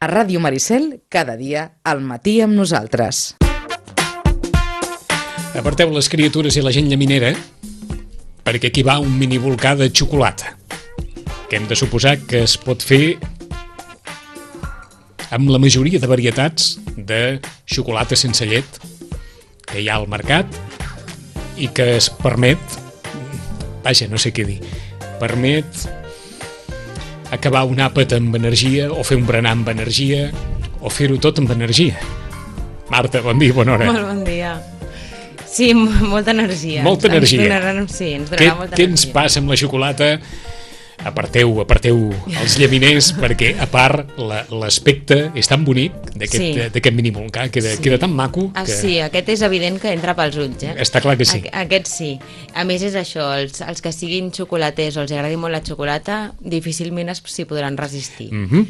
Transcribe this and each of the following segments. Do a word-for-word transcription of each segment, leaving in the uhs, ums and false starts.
A Ràdio Maricel, cada dia al matí amb nosaltres. Aparteu les criatures i la gent llaminera, perquè aquí va un mini volcà de xocolata, que hem de suposar que es pot fer amb la majoria de varietats de xocolata sense llet que hi ha al mercat i que es permet, vaja, no sé què dir, permet acabar un àpat amb energia o fer un berenar amb energia o fer-ho tot amb energia. Marta, bon dia, bona hora. Molt bon dia. Sí, molta energia. Molta energia. Ens donarà, sí, ens donarà què, molta què energia. ens passa amb la xocolata? Aparteu, aparteu els llaminers, perquè a part la- l'aspecte és tan bonic d'aquest Sí. d'aquest mini volcà, queda, Sí. queda tan maco Ah, que sí, aquest és evident que entra pels ulls, eh? està clar que sí. Aqu- Aquest sí. A més és això, els, els que siguin xocolaters o els agradi molt la xocolata, difícilment es- s'hi podran resistir. Mhm.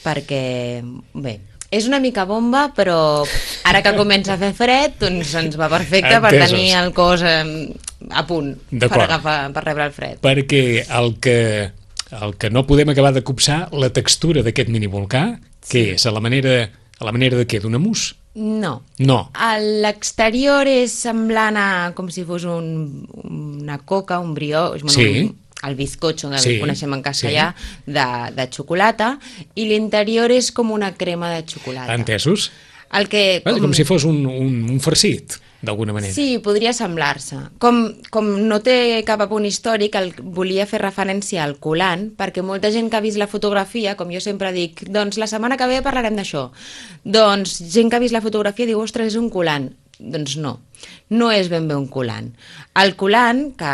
Perquè, bé, és una mica bomba, però ara que comença a fer fred, doncs ens va perfecte per Entesos. tenir el cos eh, a punt per D'acord. agafar, per rebre el fred. Perquè el que, el que no podem acabar de copsar, la textura d'aquest mini volcà, què és? A la manera, a la manera de què? D'una mousse? No. No. A l'exterior és semblant a com si fos un, una coca, un brioix, bueno, Sí. un, el bizcocho, que Sí, sí. coneixem en castellà, sí. de, de xocolata, i l'interior és com una crema de xocolata. Entesos? El que, Com, com si fos un, un, un farcit, d'alguna manera. Sí, podria semblar-se. Com, com no té cap apunt històric, el, volia fer referència al colant, perquè molta gent que ha vist la fotografia, com jo sempre dic, doncs la setmana que ve parlarem d'això. Doncs gent que ha vist la fotografia diu, ostres, és un colant. Doncs no, no és ben bé un colant. El colant, que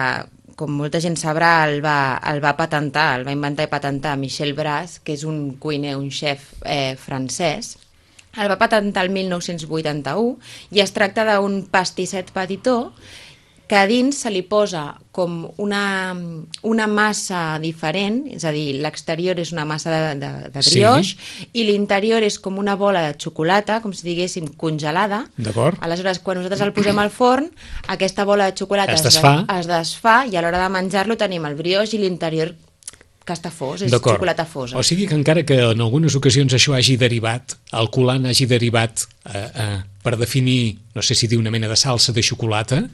com molta gent sabrà, el va, el va patentar, el va inventar i patentar Michel Bras, que és un cuiner, un xef eh, francès. El va patentar el mil nou-cents vuitanta-u i es tracta d'un pastisset petitó que a dins se li posa com una, una massa diferent, és a dir, l'exterior és una massa de, de, de brioix Sí. i l'interior és com una bola de xocolata, com si diguéssim congelada. D'acord. Aleshores, quan nosaltres el posem al forn, aquesta bola de xocolata Es de- desfà. es desfà i a l'hora de menjar-lo tenim el brioix i l'interior que està fos, és D'acord. xocolata fosa. O sigui que encara que en algunes ocasions això hagi derivat, el colant hagi derivat eh, eh, per definir, no sé si dir una mena de salsa de xocolata,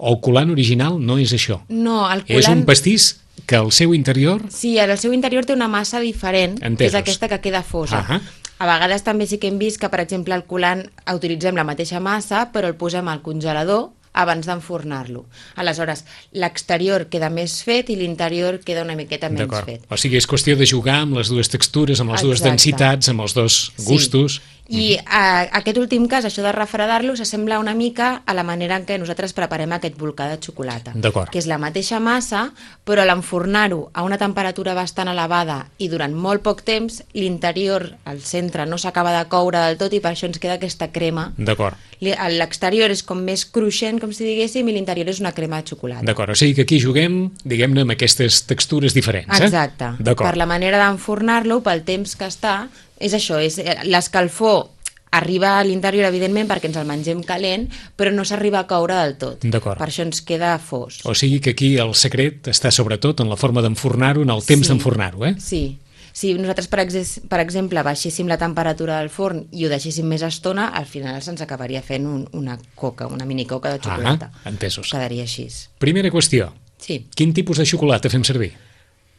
el colant original no és això. No, el colant... És un pastís que al seu interior... Sí, el seu interior té una massa diferent, que Entesos. és aquesta que queda fosa. Ahà. A vegades també sí que hem vist que, per exemple, el colant utilitzem la mateixa massa, però el posem al congelador abans d'enfornar-lo. Aleshores, l'exterior queda més fet i l'interior queda una miqueta menys D'acord. fet. O sigui, és qüestió de jugar amb les dues textures, amb les dues Exacte. densitats, amb els dos gustos. Sí. I a, aquest últim cas, això de refredar-lo, s'assembla una mica a la manera en què nosaltres preparem aquest volcà de xocolata. D'acord. Que és la mateixa massa, però a l'enfornar-ho a una temperatura bastant elevada i durant molt poc temps, l'interior, el centre, no s'acaba de coure del tot i per això ens queda aquesta crema. D'acord. Li- L'exterior és com més cruixent, com si diguéssim, i l'interior és una crema de xocolata. D'acord, o sigui que aquí juguem, diguem-ne, amb aquestes textures diferents, eh? Exacte. D'acord. Per la manera d'enfornar-lo, pel temps que està, és això, és l'escalfor arriba a l'interior, evidentment, perquè ens el mengem calent, però no s'arriba a coure del tot. D'acord. Per això ens queda fos. O sigui que aquí el secret està sobretot en la forma d'enfornar-ho, en el temps Sí. d'enfornar-ho, eh? Sí. Si nosaltres, per, ex per exemple, baixéssim la temperatura del forn i ho deixéssim més estona, al final se'ns acabaria fent un, una coca, una mini coca de xocolata. Ah, entesos. Quedaria així. Primera qüestió. Sí. Quin tipus de xocolata fem servir?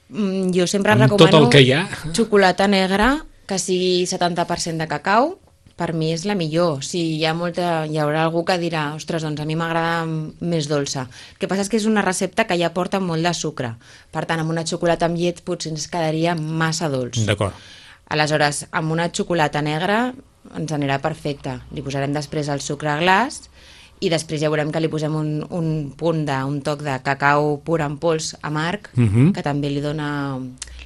Mm, jo sempre Amb recomano tot el que hi ha. xocolata negra, que sigui setanta per cent de cacau, per mi és la millor. Si hi ha molta, hi haurà algú que dirà, ostres, doncs a mi m'agrada més dolça. El que passa és que és una recepta que ja porta molt de sucre. Per tant, amb una xocolata amb llet potser ens quedaria massa dolç. D'acord. Aleshores, amb una xocolata negra ens anirà perfecte. Li posarem després el sucre a glaç i després ja veurem que li posem un, un punt de, un toc de cacau pur en pols amarg, Mhm. que també li dona,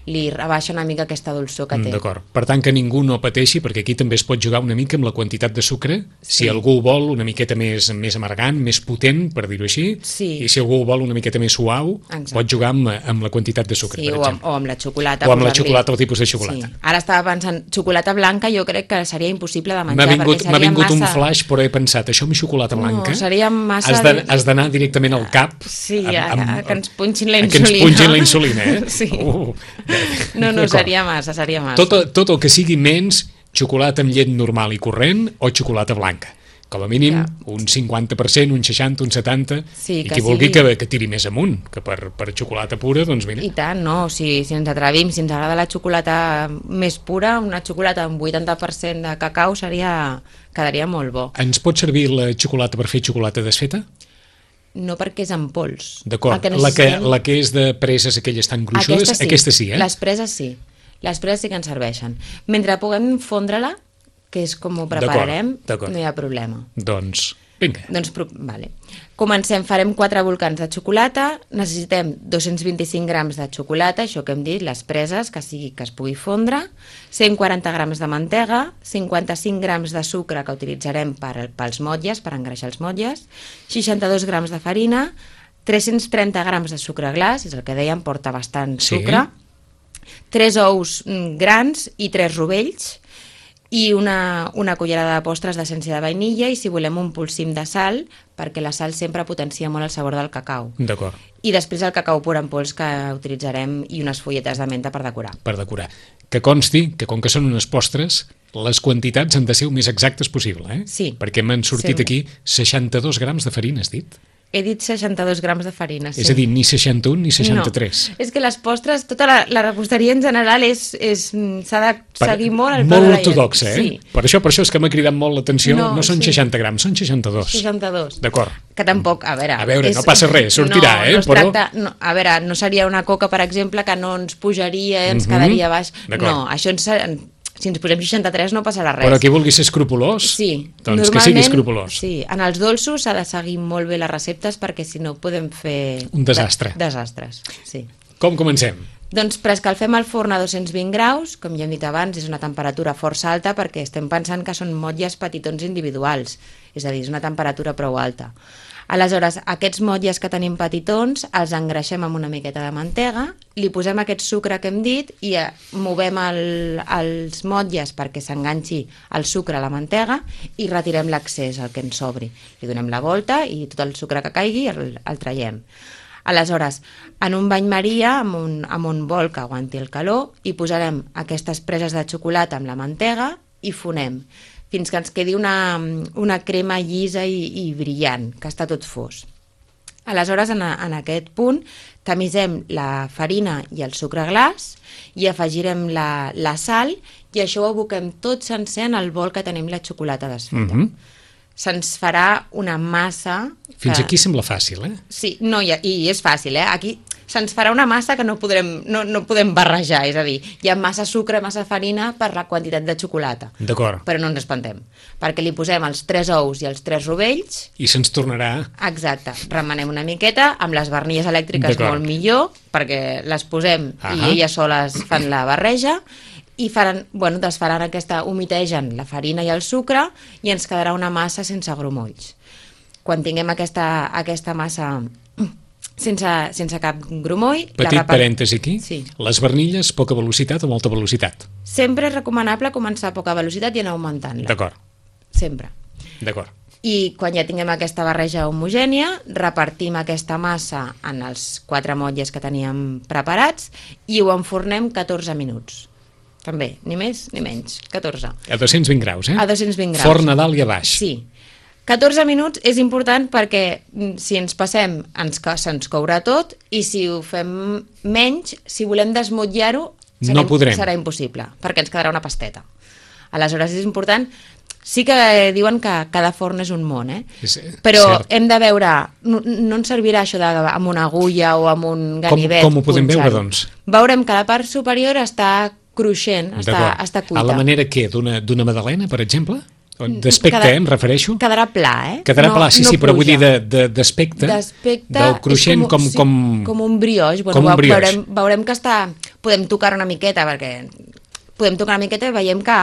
li rebaixa una mica aquesta dolçor que té. D'acord. Per tant, que ningú no pateixi, perquè aquí també es pot jugar una mica amb la quantitat de sucre. Si Sí. algú vol una miqueta més, més amargant, més potent, per dir-ho així, Sí. i si algú vol una miqueta més suau, Exacte. pot jugar amb, amb la quantitat de sucre, Sí, per o amb, exemple. o amb la xocolata. O amb la posar-li. xocolata, el tipus de xocolata. Sí. Ara estava pensant, xocolata blanca jo crec que seria impossible de M'ha menjar, vingut, perquè m'ha seria vingut un massa... flash, però he pensat, això amb xocolata No, blanca... seria massa Has de- de- has d'anar directament al cap. Sí, amb- a, amb- a, que ens punxin la a insulina. que ens punxin la insulina, eh? Sí. Uh, No, no, d'acord. seria massa, seria massa. Tot, tot el que sigui menys xocolata amb llet normal i corrent o xocolata blanca. Com a mínim, Ja. un cinquanta per cent, un seixanta, un setanta, Sí, i que qui vulgui sigui- que, que tiri més amunt, que per, per xocolata pura, doncs mira. I tant, no? Si, si ens atrevim, si ens agrada la xocolata més pura, una xocolata amb vuitanta per cent de cacau seria, quedaria molt bo. Ens pot servir la xocolata per fer xocolata desfeta? No perquè és en pols. D'acord, El que la, que, necessitem- la que és de preses, aquelles tan gruixudes, Aquesta sí, aquesta sí, eh? Les preses sí. Les preses sí que ens serveixen. Mentre puguem fondre-la, que és com ho prepararem, d'acord. no hi ha problema. Doncs, vinga. Doncs, pro- vale. Comencem, farem quatre volcans de xocolata, necessitem dos-cents vint-i-cinc grams de xocolata, això que hem dit, les preses, que sigui que es pugui fondre, cent quaranta grams de mantega, cinquanta-cinc grams de sucre que utilitzarem per, pels motlles, per engreixar els motlles, seixanta-dos grams de farina, tres-cents trenta grams de sucre glaç, és el que dèiem, porta bastant Sí. sucre, tres ous mm, grans i tres rovells, i una, una cullerada de postres d'essència de vainilla i, si volem, un polsim de sal, perquè la sal sempre potencia molt el sabor del cacau. D'acord, I després el cacau pur en pols que utilitzarem i unes folletes de menta per decorar. per decorar. Que consti que, com que són unes postres, les quantitats han de ser el més exactes possible, eh? Sí. Perquè m'han sortit Sí. aquí seixanta-dos grams de farina, has dit? He dit seixanta-dos grams de farina, sí. És a dir, ni seixanta-un ni seixanta-tres. No, és que les postres, tota la, la reposteria en general és, és mm, s'ha de Per- seguir molt el peu de molt la lletra. ortodoxa, eh? Sí, Per això, per això és que m'ha cridat molt l'atenció. No, No, no són sí. seixanta grams, són seixanta-dos. seixanta-dos. D'acord. Que tampoc, a veure... A veure, no passa res, sortirà, no, eh, No es però- tracta, no, a veure, no seria una coca, per exemple, que no ens pujaria, ens Mhm. quedaria baix. D'acord. No, això ens, si ens posem seixanta-tres no passarà res. Però qui vulgui ser escrupolós, Sí, doncs que sigui escrupolós. Sí, en els dolços s'ha de seguir molt bé les receptes perquè si no podem fer... Un desastre. De, desastres, sí. Com comencem? Doncs preescalfem el forn a dos-cents vint graus, com ja hem dit abans, és una temperatura força alta perquè estem pensant que són motlles petitons individuals, és a dir, és una temperatura prou alta. Aleshores, aquests motlles que tenim petitons els engreixem amb una miqueta de mantega, li posem aquest sucre que hem dit i eh, movem el, els motlles perquè s'enganxi el sucre a la mantega i retirem l'excés, el que ens sobri. Li donem la volta i tot el sucre que caigui el, el traiem. Aleshores, en un bany maria, amb un, amb un bol que aguanti el calor, hi posarem aquestes preses de xocolata amb la mantega i fonem, fins que ens quedi una, una crema llisa i, i brillant, que està tot fos. Aleshores, en, a, en aquest punt, tamisem la farina i el sucre glaç i afegirem la, la sal i això ho aboquem tot sencer en el bol que tenim la xocolata desfeta. Mhm. Se'ns farà una massa... Fins que- aquí sembla fàcil, eh? Sí, no, i, i és fàcil, eh? Aquí se'ns farà una massa que no podrem, no, no podem barrejar, és a dir, hi ha massa sucre, massa farina per la quantitat de xocolata. D'acord. Però no ens espantem, perquè li posem els tres ous i els tres rovells, I se'ns tornarà... exacte, remenem una miqueta, amb les barnilles elèctriques D'acord. molt millor, perquè les posem Ahà. i elles soles fan la barreja, i faran, bueno, desfaran aquesta, humitegen la farina i el sucre i ens quedarà una massa sense grumolls. Quan tinguem aquesta, aquesta massa sense, sense cap grumoll... la Petit repar- parèntesi aquí. Sí. Les barnilles, poca velocitat o molta velocitat? Sempre és recomanable començar a poca velocitat i anar augmentant-la. D'acord, Sempre. d'acord. I quan ja tinguem aquesta barreja homogènia, repartim aquesta massa en els quatre motlles que teníem preparats i ho enfornem catorze minuts. També, ni més ni menys, catorze. A dos-cents vint graus, eh? A dos-cents vint graus. Forn a dalt i a baix. Sí. catorze minuts és important perquè mm, si ens passem ens, co- se'ns courà tot i si ho fem menys, si volem desmotllar-ho, serà, No podrem. serà impossible, perquè ens quedarà una pasteta. Aleshores és important. Sí que diuen que cada forn és un món, eh? És, Però cert. hem de veure, no, no ens servirà això de, amb una agulla o amb un ganivet. com ho podem veure, punxar-ho. doncs? Veurem que la part superior està cruixent, està, D'acord. està cuita. A la manera què? D'una d'una magdalena, per exemple? O D'aspecte, Queda- eh, em refereixo? Quedarà pla, eh? Quedarà pla, sí, sí, però vull puja. dir de- de- d'aspecte, D'aspecte del cruixent és com... sí, com, com un brioix. Bueno, com un veu- brioix. Veurem, veurem que està... Podem tocar una miqueta, perquè podem tocar una miqueta i veiem que...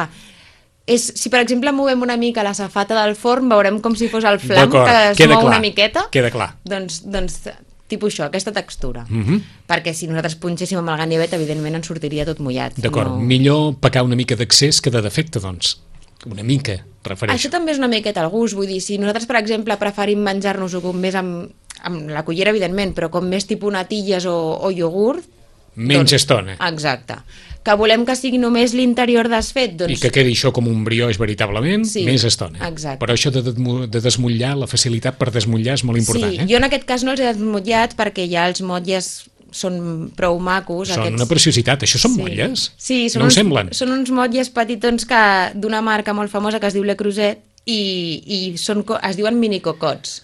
És, si, per exemple, movem una mica la safata del forn, veurem com si fos el flanc D'acord, que es queda mou clar, una miqueta. queda clar. Doncs, doncs tipus això, aquesta textura. Mhm. Perquè si nosaltres punxéssim amb el ganivet, evidentment ens sortiria tot mullat. D'acord, No... millor pecar una mica d'excés que de defecte, doncs. Una mica, refereixo. Això també és una miqueta al gust, vull dir, si nosaltres, per exemple, preferim menjar-nos-ho com més amb, amb la cullera, evidentment, però com més tipus natilles o, o iogurt, menys doncs, estona. Exacte. Que volem que sigui només l'interior desfet, doncs... I que quedi això com un brioix veritablement, Sí, més estona. exacte. Però això de, de, de desmotllar, la facilitat per desmotllar és molt important. Sí, eh? jo en aquest cas no els he desmotllat perquè ja els motlles són prou macos. Són aquests... una preciositat. Això són sí. motlles? Sí, són no uns, ho semblen? Són uns motlles petitons que d'una marca molt famosa que es diu Le Creuset i, i són, co- es diuen minicocots.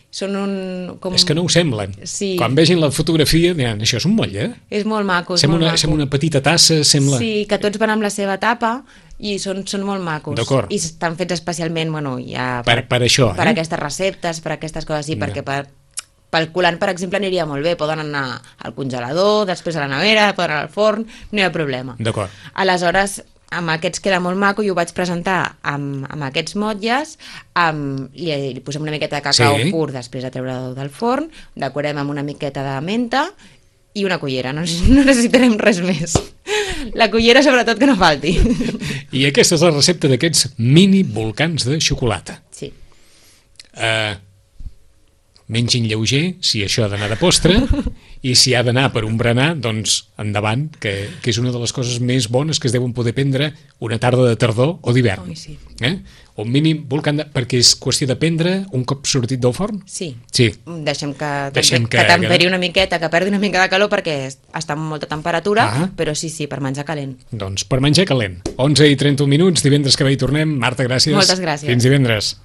Són un... Com... És que no ho semblen. Sí. Quan vegin la fotografia diran, això és un motlle? És molt maco, és Sembla molt una, maco. sembla una petita tassa, sembla... Sí, que tots van amb la seva tapa i són, són molt macos. D'acord. I estan fets especialment, bueno, ja... Per, per això, per eh? aquestes receptes, per aquestes coses, sí, Ja. perquè per, pel colant, per exemple, aniria molt bé. Poden anar al congelador, després a la nevera, poden anar al forn, no hi ha problema. D'acord. Aleshores, amb aquests queda molt maco i ho vaig presentar amb, amb aquests motlles, amb, li, li posem una miqueta de cacau Sí. pur després de treure-ho del forn, decorem amb una miqueta de menta i una cullera, no, no necessitarem res més. La cullera sobretot que no falti. I aquesta és la recepta d'aquests mini volcans de xocolata. Sí. Uh, mengin lleuger, si això ha d'anar de postre, i si ha d'anar per un berenar, doncs endavant, que, que és una de les coses més bones que es deuen poder prendre una tarda de tardor o d'hivern. Ui, sí. Eh? Un mini volcán, de, perquè és qüestió de prendre un cop sortit del forn? Sí. Sí. Deixem que, Deixem que, que- que temperi una miqueta, que perdi una mica de calor perquè està amb molta temperatura, Ah. però sí, sí, per menjar calent. Doncs per menjar calent. onze i trenta-un minuts, divendres que ve hi tornem. Marta, gràcies. Moltes gràcies. Fins divendres.